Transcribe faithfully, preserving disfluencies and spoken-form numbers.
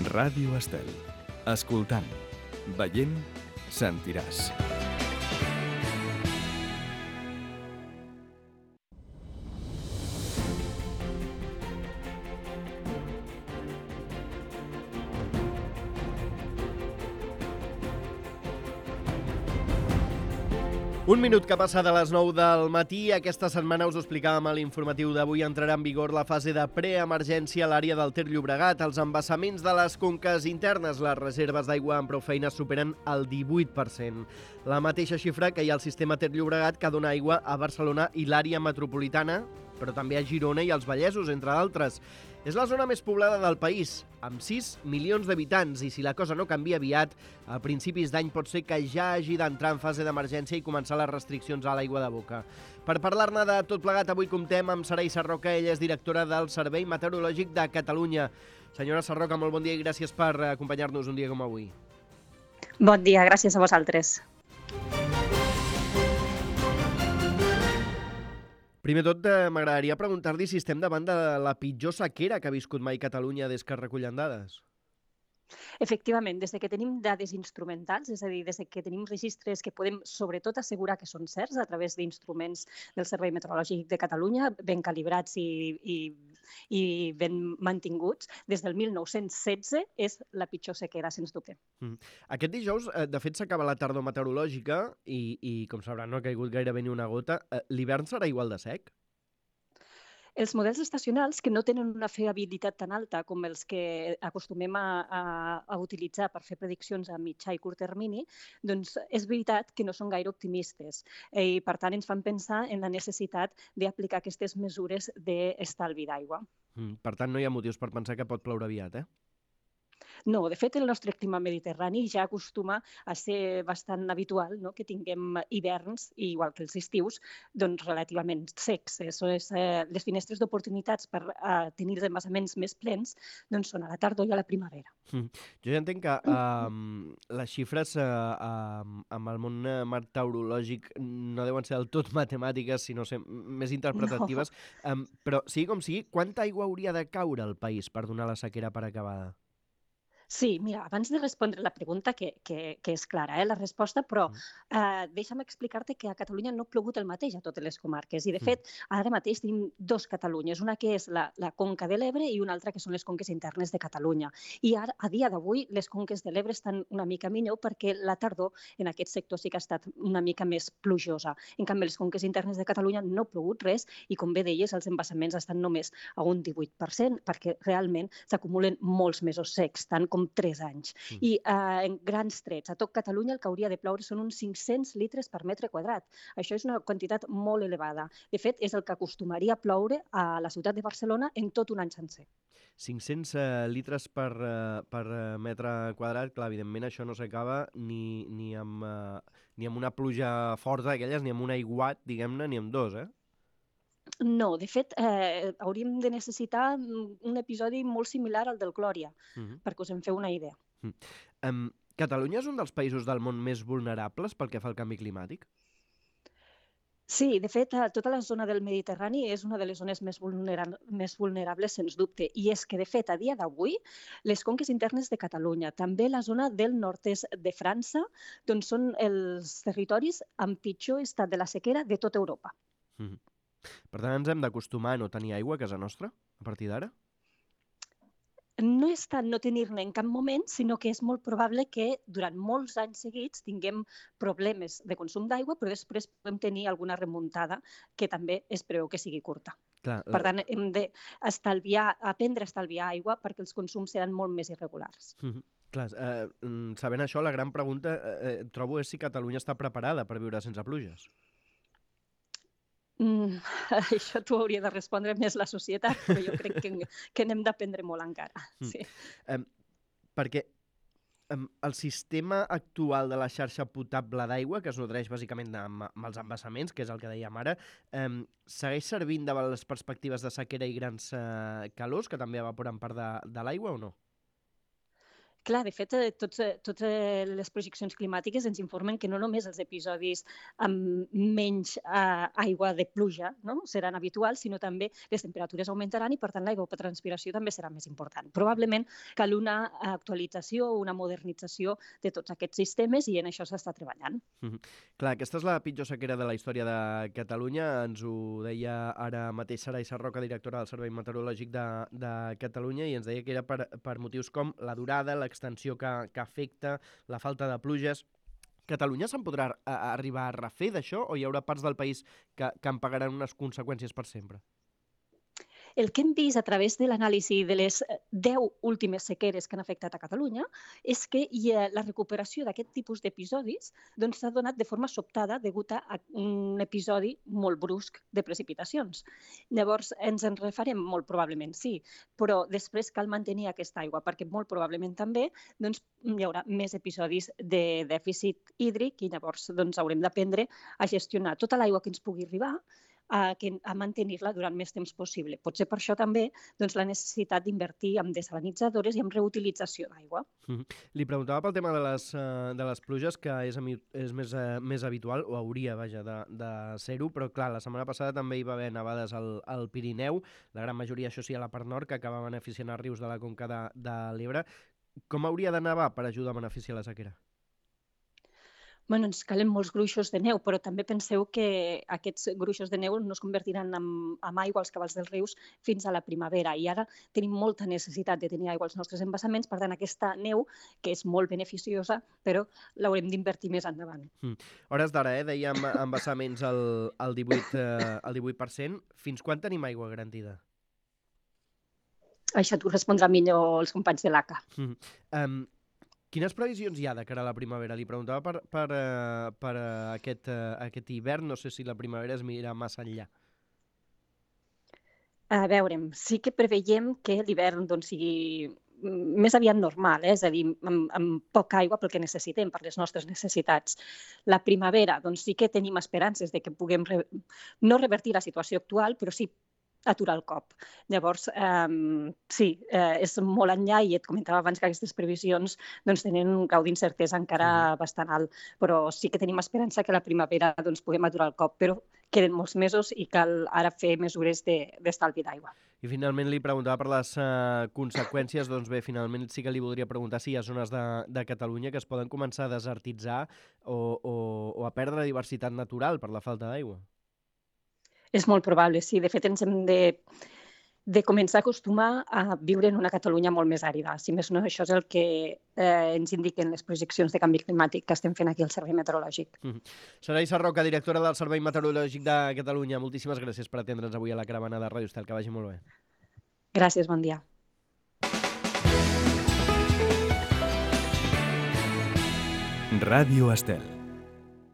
Ràdio Estel. Escoltant, veient, sentiràs. Un minut que passa de les nou del matí. Aquesta setmana us ho explicàvem a l'informatiu d'avui. Entrarà en vigor la fase de preemergència a l'àrea del Ter Llobregat. Els embassaments de les conques internes, les reserves d'aigua amb prou feines superen el divuit per cent. La mateixa xifra que hi ha al sistema Ter Llobregat, que dona aigua a Barcelona i l'àrea metropolitana, però també a Girona i als Vallesos, entre d'altres. És la zona més poblada del país, amb sis milions d'habitants, i si la cosa no canvia aviat, a principis d'any pot ser que ja hagi d'entrar en fase d'emergència i començar les restriccions a l'aigua de boca. Per parlar-ne de tot plegat, avui comptem amb Saray Sarroca. Ella és directora del Servei Meteorològic de Catalunya. Senyora Sarroca, molt bon dia i gràcies per acompanyar-nos un dia com avui. Bon dia, gràcies a vosaltres. Primer tot, m'agradaria preguntar-li si estem davant de la pitjor sequera que ha viscut mai Catalunya des que es recullen dades. Efectivament, des que tenim dades instrumentals, és a dir, des que tenim registres que podem sobretot assegurar que són certs a través d'instruments del Servei Meteorològic de Catalunya, ben calibrats i, i, i ben mantinguts, des del mil nou-cents setze és la pitjor sequera, sens dubte. Mm. Aquest dijous, de fet, s'acaba la tardor meteorològica i, i com sabran, no ha caigut gairebé ni una gota. L'hivern serà igual de sec? Els models estacionals, que no tenen una fiabilitat tan alta com els que acostumem a, a, a utilitzar per fer prediccions a mitjà i curt termini, doncs és veritat que no són gaire optimistes i, per tant, ens fan pensar en la necessitat d'aplicar aquestes mesures d'estalvi d'aigua. Mm, per tant, no hi ha motius per pensar que pot ploure aviat, eh? No, de fet, el nostre clima mediterrani ja acostuma a ser bastant habitual, no?, que tinguem hiverns, igual que els estius, doncs relativament secs. Les finestres d'oportunitats per tenir els embassaments més plens doncs són a la tardor i a la primavera. Mm. Jo ja entenc que um, les xifres uh, um, amb el món meteorològic no deuen ser del tot matemàtiques, sinó ser més interpretatives. No. Um, però, sigui com sigui, quanta aigua hauria de caure al país per donar la sequera per acabada? Sí, mira, abans de respondre la pregunta, que, que, que és clara, eh, la resposta, però eh, deixa'm explicar-te que a Catalunya no ha plogut el mateix a totes les comarques. I, de fet, ara mateix tenim dos Catalunyes, una que és la, la Conca de l'Ebre i una altra que són les conques internes de Catalunya. I ara, a dia d'avui, les conques de l'Ebre estan una mica millor perquè la tardor en aquest sector sí que ha estat una mica més plujosa. En canvi, les conques internes de Catalunya no ha plogut res i, com bé deies, els embassaments estan només a un divuit per cent perquè realment s'acumulen molts mesos secs, tant com com tres anys. Mm. I eh, en grans trets, a tot Catalunya el que hauria de ploure són uns cinc-cents litres per metre quadrat. Això és una quantitat molt elevada. De fet, és el que acostumaria a ploure a la ciutat de Barcelona en tot un any sencer. cinc-cents uh, litres per, uh, per uh, metre quadrat, clar, evidentment això no s'acaba ni, ni, amb, uh, ni amb una pluja forta d'aquelles, ni amb un aiguat, diguem-ne, ni amb dos, eh? No, de fet, eh, hauríem de necessitar un episodi molt similar al del Glòria, uh-huh. perquè us en feu una idea. Uh-huh. Um, Catalunya és un dels països del món més vulnerables pel que fa al canvi climàtic? Sí, de fet, tota la zona del Mediterrani és una de les zones més, vulnera més vulnerables, sens dubte. I és que, de fet, a dia d'avui, les conques internes de Catalunya, també la zona del nord-est de França, doncs són els territoris amb pitjor estat de la sequera de tota Europa. Uh-huh. Per tant, ens hem d'acostumar a no tenir aigua a casa nostra, a partir d'ara? No és tant no tenir-ne en cap moment, sinó que és molt probable que durant molts anys seguits tinguem problemes de consum d'aigua, però després podem tenir alguna remuntada que també es preveu que sigui curta. Clar, la... Per tant, hem d'estalviar, aprendre a estalviar aigua perquè els consums seran molt més irregulars. Mm-hmm. Clar, eh, sabent això, la gran pregunta eh, trobo és si Catalunya està preparada per viure sense pluges. Mm, això t'ho hauria de respondre més la societat, però jo crec que, que n'hem d'aprendre molt encara. Sí. Mm. Um, perquè um, el sistema actual de la xarxa potable d'aigua, que es nodreix bàsicament amb, amb els embassaments, que és el que dèiem ara, um, segueix servint davant les perspectives de sequera i grans uh, calors, que també evaporen part de, de l'aigua o no? Clar, de fet, tots, totes les projeccions climàtiques ens informen que no només els episodis amb menys eh, aigua de pluja, no?, seran habituals, sinó també les temperatures augmentaran i, per tant, l'evapotranspiració també serà més important. Probablement cal una actualització o una modernització de tots aquests sistemes i en això s'està treballant. Mm-hmm. Clar, aquesta és la pitjor sequera de la història de Catalunya. Ens ho deia ara mateix Saray Sarroca, directora del Servei Meteorològic de, de Catalunya, i ens deia que era per, per motius com la durada, l'extensió que, que afecta, la falta de pluges. Catalunya se'n podrà a, arribar a refer d'això o hi haurà parts del país que, que en pagaran unes conseqüències per sempre? El que hem vist a través de l'anàlisi de les deu últimes sequeres que han afectat a Catalunya és que hi ha la recuperació d'aquest tipus d'episodis doncs, s'ha donat de forma sobtada degut a un episodi molt brusc de precipitacions. Llavors, ens en refarem molt probablement, sí, però després cal mantenir aquesta aigua perquè molt probablement també doncs, hi haurà més episodis de dèficit hídric i llavors doncs, haurem d'aprendre a gestionar tota l'aigua que ens pugui arribar a, a mantenir-la durant més temps possible. Potser per això també doncs, la necessitat d'invertir en desalinitzadores i en reutilització d'aigua. Mm-hmm. Li preguntava pel tema de les, uh, de les pluges, que és, és més, uh, més habitual, o hauria, vaja, de, de ser-ho, però clar, la setmana passada també hi va haver nevades al, al Pirineu, la gran majoria, això sí, a la part nord, que acaba beneficiant els rius de la conca de, de l'Ebre. Com hauria de nevar per ajudar a beneficiar la sequera? Bueno, ens calen molts gruixos de neu, però també penseu que aquests gruixos de neu no es convertiran en, en aigua als cabals dels rius fins a la primavera i ara tenim molta necessitat de tenir aigua als nostres embassaments, per tant aquesta neu, que és molt beneficiosa, però l'haurem d'invertir més endavant. Mm. Hores d'ara, eh? Dèiem embassaments al, al, divuit, eh, al divuit per cent. Fins quan tenim aigua garantida? Això t'ho respondrà millor els companys de l'A C A. Mm. Um, Quines previsions hi ha de cara a la primavera? Li preguntava per, per, uh, per uh, aquest, uh, aquest hivern, no sé si la primavera es mira massa enllà. A veure, sí que preveiem que l'hivern doncs, sigui més aviat normal, eh? És a dir, amb, amb poca aigua pel que necessitem, per les nostres necessitats. La primavera, doncs sí que tenim esperances de que puguem re... no revertir la situació actual, però sí aturar el cop. Llavors, eh, sí, eh, és molt enllà i et comentava abans que aquestes previsions doncs, tenen un grau d'incertesa encara sí. bastant alt, però sí que tenim esperança que a la primavera doncs, puguem aturar el cop, però queden molts mesos i cal ara fer mesures d'estalvi de, d'aigua. I finalment li preguntava per les uh, conseqüències, doncs bé, finalment sí que li voldria preguntar si hi ha zones de, de Catalunya que es poden començar a desertitzar o, o, o a perdre diversitat natural per la falta d'aigua. És molt probable, sí. De fet, ens hem de, de començar a acostumar a viure en una Catalunya molt més àrida. Si més no, això és el que eh, ens indiquen les projeccions de canvi climàtic que estem fent aquí al Servei Meteorològic. Mm-hmm. Saray Sarroca, directora del Servei Meteorològic de Catalunya. Moltíssimes gràcies per atendre'ns avui a la caravana de Ràdio Estel. Que vagi molt bé. Gràcies, bon dia. Ràdio Estel.